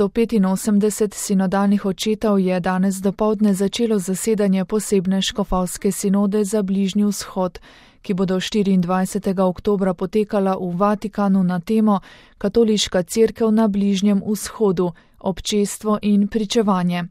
485 sinodalnih očetov je danes dopoldne začelo zasedanje posebne škofovske sinode za Bližnji vzhod, ki bodo 24. oktobra potekala v Vatikanu na temo Katoliška cerkev na Bližnjem vzhodu, občestvo in pričevanje.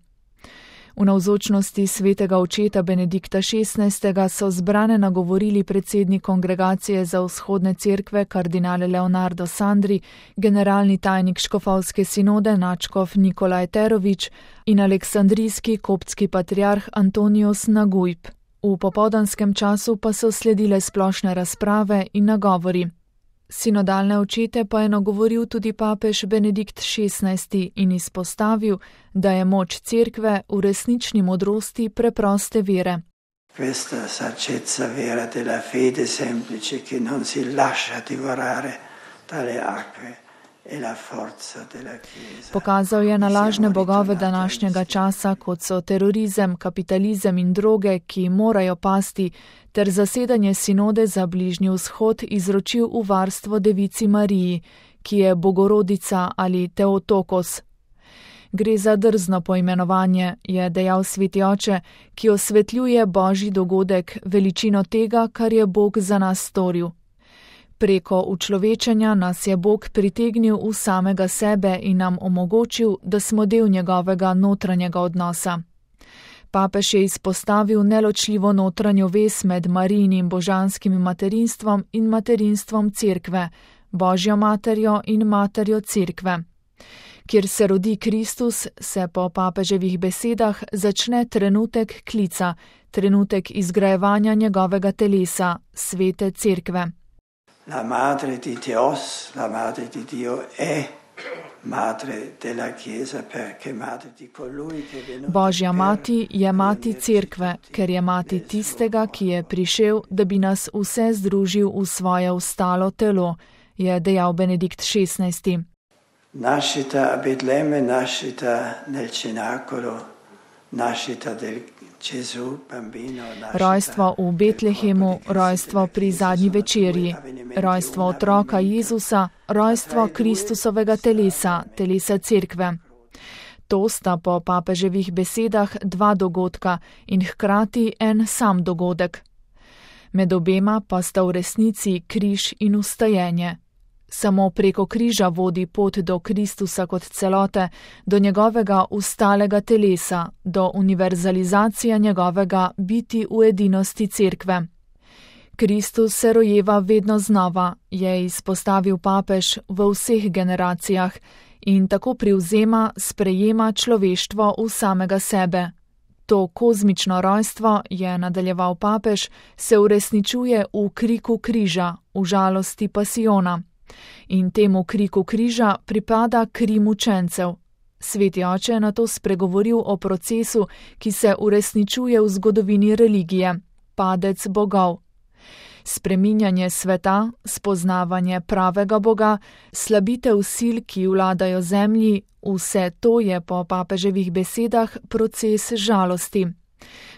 V navzočnosti svetega očeta Benedikta XVI. So zbrane nagovorili predsednik Kongregacije za vzhodne cerkve kardinal Leonardo Sandri, generalni tajnik škofovske sinode nadškof Nikolaj Terović in aleksandrijski koptski patriarh Antonios Nagujb. V popoldanskem času pa so sledile splošne razprave in nagovori. Sinodalne očete pa je nagovoril tudi papež Benedikt XVI. In izpostavil, da je moč cerkve v resnični modrosti preproste vere. Questa saggezza vera della fede semplice che non si lascia divorare dalle acque e la forza della Chiesa. Pokazal je na lažne bogove današnjega časa, kot so terorizem, kapitalizem in droge, ki morajo pasti, ter zasedanje sinode za Bližnji vzhod izročil v varstvo devici Mariji, ki je bogorodica ali Teotokos. Gre za drzno poimenovanje, je dejal sveti oče, ki osvetljuje božji dogodek, veličino tega, kar je Bog za nas storil. Preko učlovečenja nas je Bog pritegnil v samega sebe in nam omogočil, da smo del njegovega notranjega odnosa. Papež je izpostavil neločljivo notranjo vez med Marijinim božanskim materinstvom in materinstvom cerkve, Božjo materjo in materjo cerkve. Kjer se rodi Kristus, se po papeževih besedah začne trenutek klica, trenutek izgrajevanja njegovega telesa, svete cerkve. La madre di Dios, la madre di Dio è madre della Chiesa perché madre di colui che è venuto. Božja mati je mati cerkve, ker je mati tistega, ki je prišel, da bi nas vse združil v svoje ustalo telo, je dejal Benedikt XVI. Nascita a Betlemme, nascita nel cenacolo, nascita del Gesù bambino. Rojstvo v Betlehemu, rojstvo pri zadnji večerji, rojstvo otroka Jezusa, rojstvo Kristusovega telesa, telesa cerkve. To sta po papeževih besedah dva dogodka in hkrati en sam dogodek. Med obema pa sta v resnici križ in vstajenje. Samo preko križa vodi pot do Kristusa kot celote, do njegovega ustalega telesa, do univerzalizacije njegovega biti v edinosti cerkve. Kristus se rojeva vedno znova, je izpostavil papež v vseh generacijah in tako privzema, sprejema človeštvo v samega sebe. To kozmično rojstvo, je nadaljeval papež, se uresničuje v kriku križa, v žalosti pasijona. In temu kriku križa pripada kri mučencev. Sveti oče je nato spregovoril o procesu, ki se uresničuje v zgodovini religije, padec bogov. Spreminjanje sveta, spoznavanje pravega Boga, slabitev sil, ki vladajo zemlji, vse to je po papeževih besedah proces žalosti.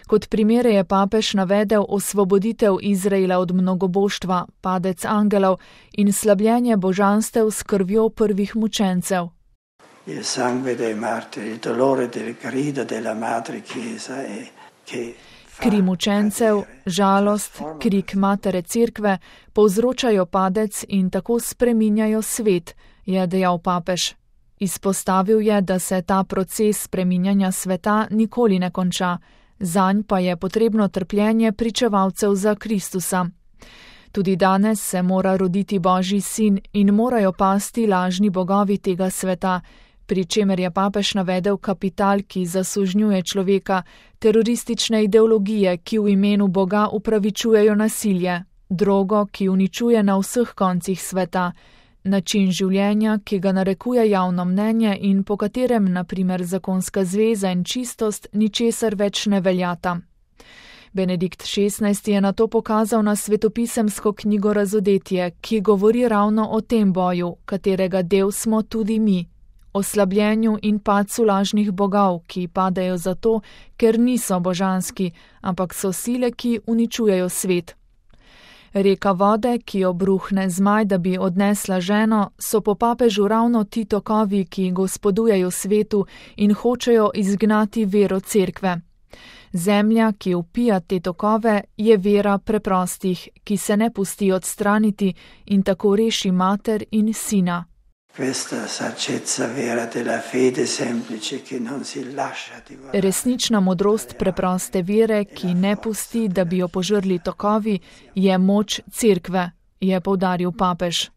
Kot primere je papež navedel osvoboditev Izraela od mnogoboštva, padec angelov in slabljenje božanstev s krvjo prvih mučencev. Il sangue dei martiri, il dolore del grido della madre Chiesa che Kri mučencev, žalost, krik matere cerkve povzročajo padec in tako spreminjajo svet, je dejal papež. Izpostavil je, da se ta proces spreminjanja sveta nikoli ne konča, zanj pa je potrebno trpljenje pričevalcev za Kristusa. Tudi danes se mora roditi Božji sin in morajo pasti lažni bogovi tega sveta, pri čemer je papež navedel kapital, ki zasužnjuje človeka, teroristične ideologije, ki v imenu Boga upravičujejo nasilje, drogo, ki uničuje na vseh koncih sveta, način življenja, ki ga narekuje javno mnenje in po katerem, na primer, zakonska zveza in čistost ničesar več ne veljata. Benedikt XVI. Je nato pokazal na svetopisemsko knjigo Razodetje, ki govori ravno o tem boju, katerega del smo tudi mi, o slabljenju in padcu lažnih bogov, ki padajo zato, ker niso božanski, ampak so sile, ki uničujejo svet. Reka vode, ki obruhne zmaj, da bi odnesla ženo, so po papežu ravno ti tokovi, ki gospodujejo svetu in hočejo izgnati vero cerkve. Zemlja, ki vpija te tokove, je vera preprostih, ki se ne pusti odstraniti in tako reši mater in sina. Resnična modrost preproste vere, ki ne pusti, da bi jo požrli tokovi, je moč cerkve, je poudaril papež.